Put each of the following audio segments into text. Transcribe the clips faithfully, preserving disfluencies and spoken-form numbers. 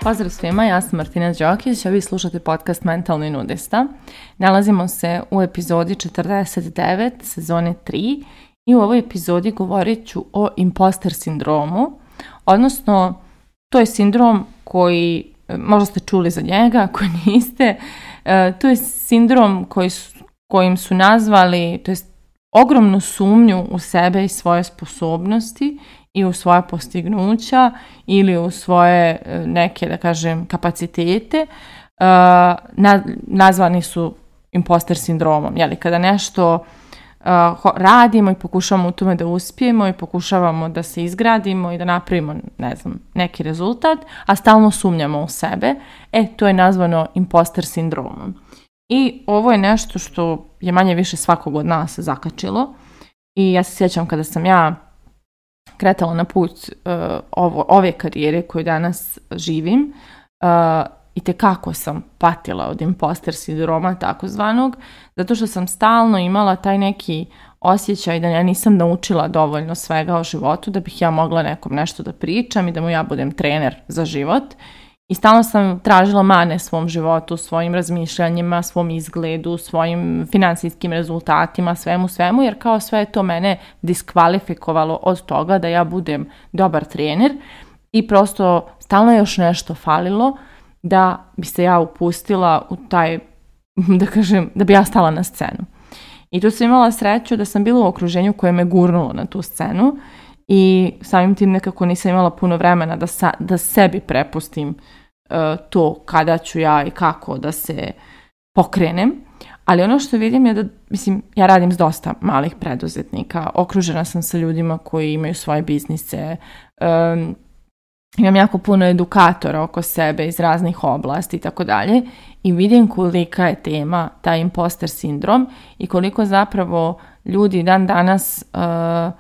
Pozdrav svima, ja sam Martina Đokić, a vi slušate podcast Mentalni nudista. Nalazimo se u epizodi četrdeset devet, sezone tri i u ovoj epizodi govorit ću o imposter sindromu, odnosno to je sindrom koji, možda ste čuli za njega, ako niste, to je sindrom koji su, kojim su nazvali, to jest ogromnu sumnju u sebe i svoje sposobnosti i u svoja postignuća ili u svoje neke, da kažem, kapacitete, uh, na, nazvani su imposter sindromom. Jeli, kada nešto uh, radimo i pokušavamo u tome da uspijemo i pokušavamo da se izgradimo i da napravimo, ne znam, neki rezultat, a stalno sumnjamo u sebe, e, to je nazvano imposter sindromom. I ovo je nešto što je manje više svakog od nas zakačilo i ja se sjećam kada sam ja kretala na put uh, ovo, ove karijere koju danas živim, uh, i tekako sam patila od imposter sindroma takozvanog, zato što sam stalno imala taj neki osjećaj da ja nisam naučila dovoljno svega o životu da bih ja mogla nekom nešto da pričam i da mu ja budem trener za život. I stalno sam tražila mane svom životu, svojim razmišljanjima, svom izgledu, svojim financijskim rezultatima, svemu, svemu, jer kao sve je to mene diskvalifikovalo od toga da ja budem dobar trener i prosto stalno je još nešto falilo da bi se ja upustila u taj, da kažem, da bi ja stala na scenu. I tu sam imala sreću da sam bila u okruženju koje me gurnulo na tu scenu i samim tim nekako nisam imala puno vremena da, sa, da sebi prepustim to kada ću ja i kako da se pokrenem, ali ono što vidim je da, mislim, ja radim s dosta malih preduzetnika, okružena sam sa ljudima koji imaju svoje biznise, um, imam jako puno edukatora oko sebe iz raznih oblasti i tako dalje i vidim kolika je tema taj imposter sindrom i koliko zapravo ljudi dan danas uh,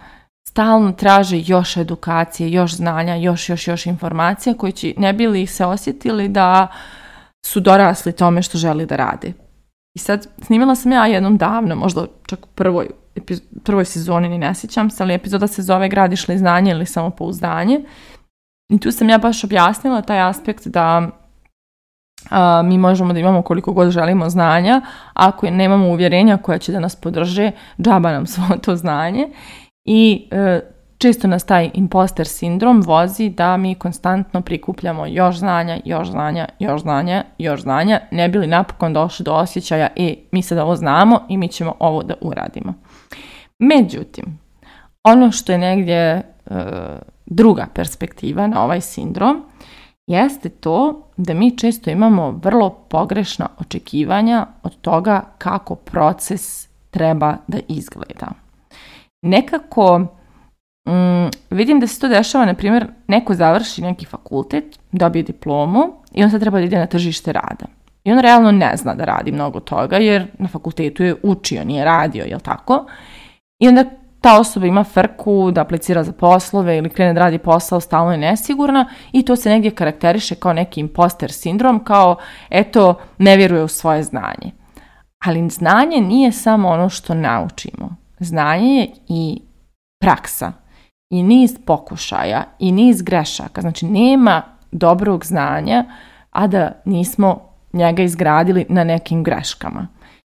stalno traže još edukacije, još znanja, još, još, još informacija koji će, ne bi li se osjetili da su dorasli tome što želi da rade. I sad snimila sam ja jednom davno, možda čak u prvoj, epiz- prvoj sezoni, ni ne sjećam se, ali epizoda se zove Gradiš li znanje ili samopouzdanje. I tu sam ja baš objasnila taj aspekt da a, mi možemo da imamo koliko god želimo znanja, ako nemamo uvjerenja koja će da nas podrže, džaba nam svo to znanje. I e, često nas taj imposter sindrom vozi da mi konstantno prikupljamo još znanja, još znanja, još znanja, još znanja, ne bi li napokon došli do osjećaja e, mi sad ovo znamo i mi ćemo ovo da uradimo. Međutim, ono što je negdje e, druga perspektiva na ovaj sindrom jeste to da mi često imamo vrlo pogrešna očekivanja od toga kako proces treba da izgleda. Nekako mm, vidim da se to dešava, na primjer, neko završi neki fakultet, dobije diplomu i on sad treba da ide na tržište rada. I on realno ne zna da radi mnogo toga jer na fakultetu je učio, nije radio, jel tako? I onda ta osoba ima frku da aplicira za poslove ili krene da radi posao, stalno je nesigurna i to se negdje karakteriše kao neki imposter sindrom, kao eto, ne vjeruje u svoje znanje. Ali znanje nije samo ono što naučimo. Znanje je i praksa, i niz pokušaja, i niz grešaka. Znači, nema dobrog znanja, a da nismo njega izgradili na nekim greškama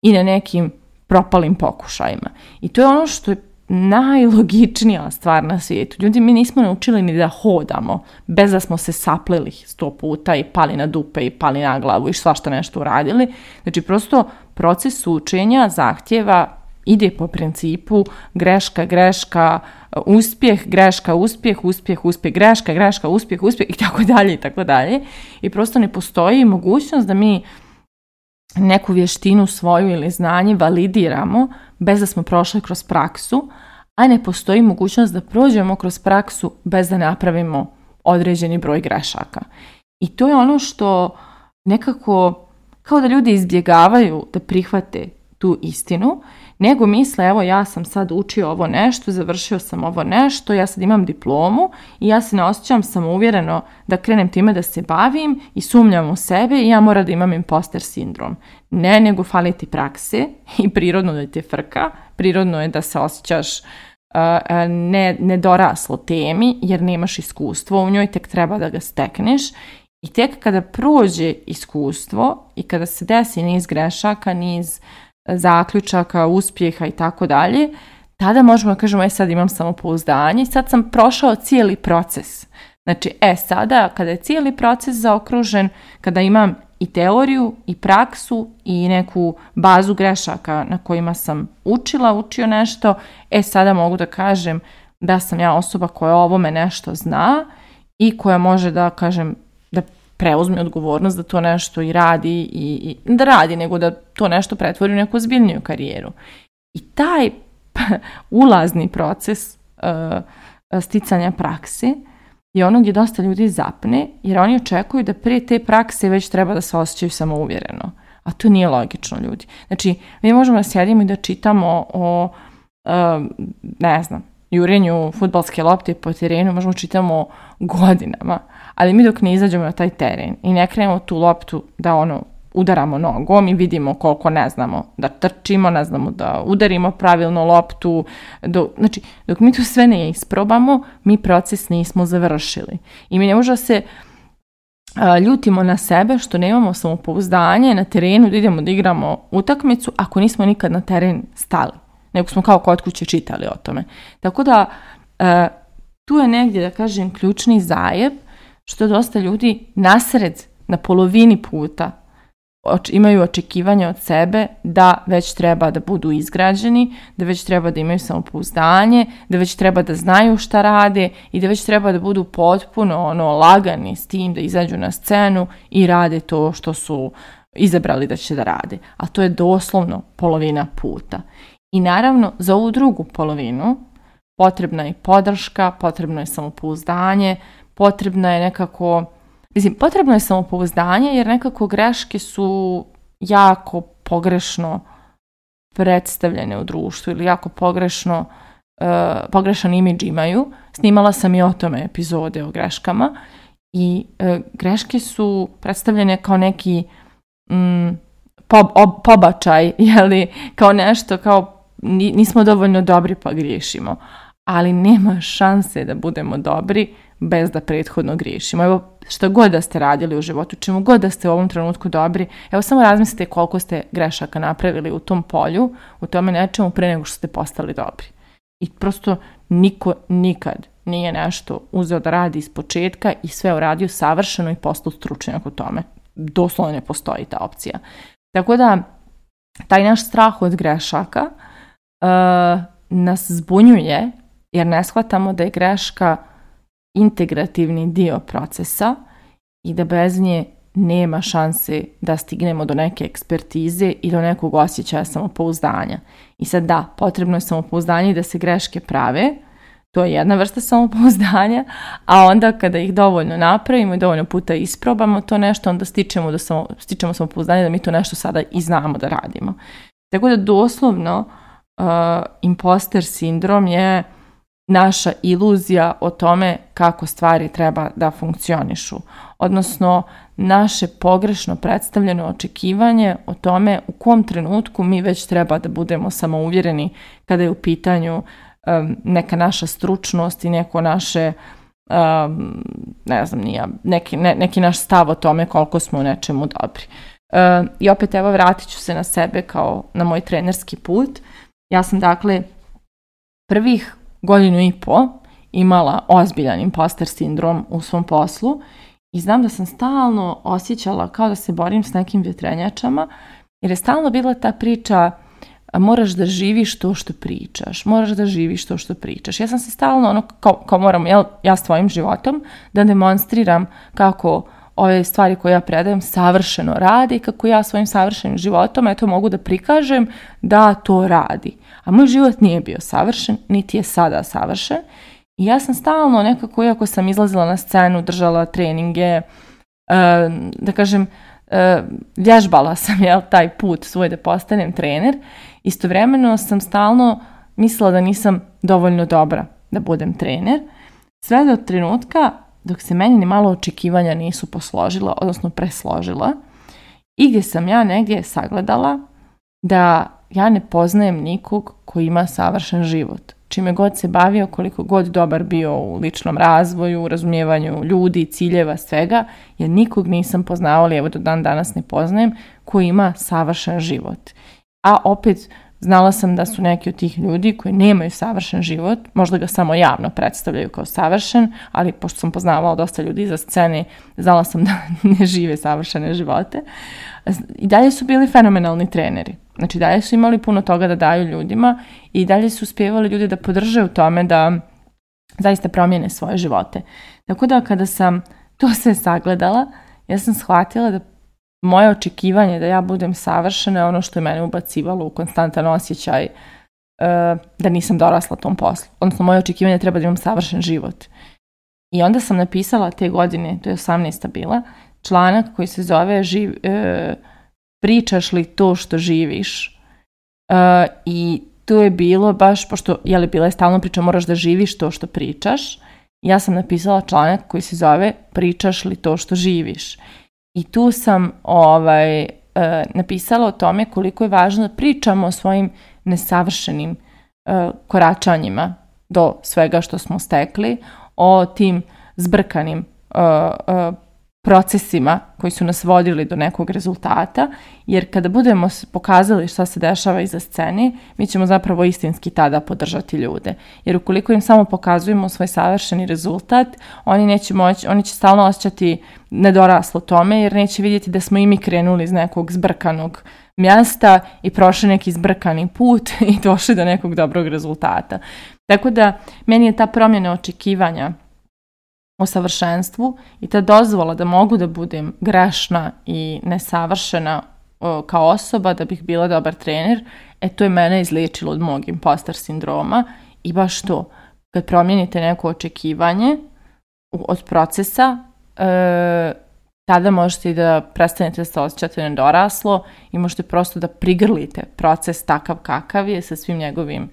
i na nekim propalim pokušajima. I to je ono što je najlogičnija stvar na svijetu. Ljudi, mi nismo naučili ni da hodamo, bez da smo se saplili sto puta i pali na dupe i pali na glavu i svašta nešto uradili. Znači, prosto proces učenja zahtjeva ide po principu greška, greška, uspjeh, greška, uspjeh, uspjeh, uspjeh, greška, greška, uspjeh, uspjeh i tako dalje i tako dalje. I prosto ne postoji mogućnost da mi neku vještinu svoju ili znanje validiramo bez da smo prošli kroz praksu, a ne postoji mogućnost da prođemo kroz praksu bez da napravimo određeni broj grešaka. I to je ono što nekako, kao da ljudi izbjegavaju da prihvate tu istinu, nego misle evo ja sam sad učio ovo nešto, završio sam ovo nešto, ja sad imam diplomu i ja se ne osjećam samouvjereno da krenem time da se bavim i sumnjam u sebe i ja moram da imam imposter sindrom. Ne, nego fali ti prakse i prirodno da ti je frka, prirodno je da se osjećaš uh, ne, nedoraslo temi jer nemaš iskustvo u njoj, tek treba da ga stekneš. I tek kada prođe iskustvo i kada se desi niz grešaka, niz zaključaka, uspjeha i tako dalje, tada možemo da kažemo, e sad imam samopouzdanje i sad sam prošao cijeli proces. Znači, e sada kada je cijeli proces zaokružen, kada imam i teoriju i praksu i neku bazu grešaka na kojima sam učila, učio nešto, e sada mogu da kažem da sam ja osoba koja o ovome nešto zna i koja može da kažem da preuzme odgovornost da to nešto i radi i, i da radi, nego da to nešto pretvori u neku ozbiljniju karijeru. I taj ulazni proces uh, sticanja prakse je ono gdje dosta ljudi zapne, jer oni očekuju da prije te prakse već treba da se osjećaju samouvjereno. A to nije logično, ljudi. Znači, mi možemo da sjedimo i da čitamo o, uh, ne znam, jurenju fudbalske lopte po terenu, možemo čitamo godinama, ali mi dok ne izađemo na taj teren i ne krenemo tu loptu da ono udaramo nogom i vidimo koliko ne znamo da trčimo, ne znamo da udarimo pravilno loptu, do, znači dok mi to sve ne isprobamo, mi proces nismo završili. I mi ne možemo se a, ljutimo na sebe što nemamo samopouzdanje na terenu da idemo da igramo utakmicu ako nismo nikad na teren stali, nego smo kao kod kuće čitali o tome. Tako da a, tu je negdje, da kažem, ključni zajeb što dosta ljudi nasred, na polovini puta oč- imaju očekivanja od sebe da već treba da budu izgrađeni, da već treba da imaju samopouzdanje, da već treba da znaju šta rade i da već treba da budu potpuno ono, lagani s tim da izađu na scenu i rade to što su izabrali da će da rade. A to je doslovno polovina puta. I naravno, za ovu drugu polovinu potrebna je podrška, potrebno je samopouzdanje, potrebna je nekako, mislim, potrebno je samopouzdanje jer nekako greške su jako pogrešno predstavljene u društvu ili jako pogrešno, uh, pogrešan imidž imaju. Snimala sam i o tome epizode o greškama i uh, greške su predstavljene kao neki mm, pob, ob, pobačaj, jeli, kao nešto, kao nismo dovoljno dobri pa griješimo. Ali nema šanse da budemo dobri bez da prethodno griješimo. Evo, što god da ste radili u životu, čemu god da ste u ovom trenutku dobri, evo samo razmislite koliko ste grešaka napravili u tom polju, u tome nečemu pre nego što ste postali dobri. I prosto niko nikad nije nešto uzeo da radi iz početka i sve uradio savršeno i postao stručnjak u tome. Doslovno ne postoji ta opcija. Tako da, taj naš strah od grešaka uh, nas zbunjuje jer ne shvatamo da je greška integrativni dio procesa i da bez nje nema šanse da stignemo do neke ekspertize i do nekog osjećaja samopouzdanja. I sad da, potrebno je samopouzdanje i da se greške prave, to je jedna vrsta samopouzdanja, a onda kada ih dovoljno napravimo i dovoljno puta isprobamo to nešto, onda stičemo, do samo, stičemo samopouzdanje da mi to nešto sada i znamo da radimo. Tako da doslovno uh, imposter sindrom je naša iluzija o tome kako stvari treba da funkcionišu. Odnosno, naše pogrešno predstavljeno očekivanje o tome u kom trenutku mi već treba da budemo samouvjereni kada je u pitanju um, neka naša stručnost i neko naše, um, ne znam, nije, neki, ne, neki naš stav o tome koliko smo u nečemu dobri. Uh, I opet evo vratit ću se na sebe kao na moj trenerski put. Ja sam dakle prvih godinu i po imala ozbiljan imposter sindrom u svom poslu i znam da sam stalno osjećala kao da se borim s nekim vjetrenjačama jer je stalno bila ta priča moraš da živiš to što pričaš, moraš da živiš to što pričaš. Ja sam se stalno ono kao, kao moram ja, ja s tvojim životom da demonstriram kako ove stvari koje ja predajem savršeno radi i kako ja svojim savršenim životom eto mogu da prikažem da to radi. A moj život nije bio savršen, niti je sada savršen. I ja sam stalno nekako, iako sam izlazila na scenu, držala treninge, da kažem, e, vježbala sam jel, taj put svoj da postanem trener. Istovremeno sam stalno mislila da nisam dovoljno dobra da budem trener. Sve do trenutka dok se meni ni malo očekivanja nisu posložila, odnosno presložila. I gdje sam ja negdje sagledala da ja ne poznajem nikog koji ima savršen život. Čime god se bavio, koliko god dobar bio u ličnom razvoju, u razumijevanju ljudi, ciljeva, svega, ja nikog nisam poznavala, evo do dan danas ne poznajem, koji ima savršen život. A opet znala sam da su neki od tih ljudi koji nemaju savršen život, možda ga samo javno predstavljaju kao savršen, ali pošto sam poznavala dosta ljudi iza scene, znala sam da ne žive savršene živote. I dalje su bili fenomenalni treneri. Znači dalje su imali puno toga da daju ljudima i dalje su uspjevali ljudi da podrže u tome da zaista promijene svoje živote. Tako da kada sam to sve sagledala, ja sam shvatila da moje očekivanje da ja budem savršena je ono što je mene ubacivalo u konstantan osjećaj uh, da nisam dorasla tom poslu. Odnosno, moje očekivanje treba da imam savršen život. I onda sam napisala te godine, to je osamnaesta bila, članak koji se zove živ, uh, Pričaš li to što živiš? Uh, I to je bilo baš, pošto je li bila je stalno priča, moraš da živiš to što pričaš. Ja sam napisala članak koji se zove Pričaš li to što živiš? I tu sam ovaj, e, napisala o tome koliko je važno da pričamo o svojim nesavršenim e, koračanjima do svega što smo stekli, o tim zbrkanim e, e, procesima koji su nas vodili do nekog rezultata, jer kada budemo pokazali šta se dešava iza scene, mi ćemo zapravo istinski tada podržati ljude. Jer ukoliko im samo pokazujemo svoj savršeni rezultat, oni neće moći, oni će stalno osjećati nedoraslo tome, jer neće vidjeti da smo i mi krenuli iz nekog zbrkanog mjesta i prošli neki zbrkani put i došli do nekog dobrog rezultata. Tako da meni je ta promjena očekivanja o savršenstvu i ta dozvola da mogu da budem grešna i nesavršena o, kao osoba da bih bila dobar trener, e to je mene izliječilo od mog impostor sindroma i baš to, kad promijenite neko očekivanje od procesa, e, tada možete i da prestanete da se osjećate nedoraslo i možete prosto da prigrlite proces takav kakav je sa svim njegovim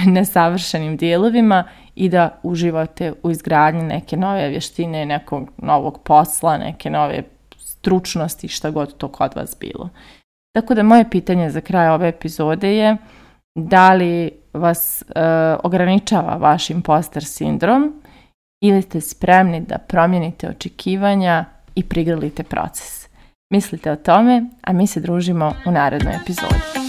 nesavršenim dijelovima i da uživate u izgradnji neke nove vještine, nekog novog posla, neke nove stručnosti, šta god to kod vas bilo. Tako da moje pitanje za kraj ove epizode je da li vas e, ograničava vaš imposter sindrom ili ste spremni da promijenite očekivanja i prigrlite proces. Mislite o tome, a mi se družimo u narednoj epizodi.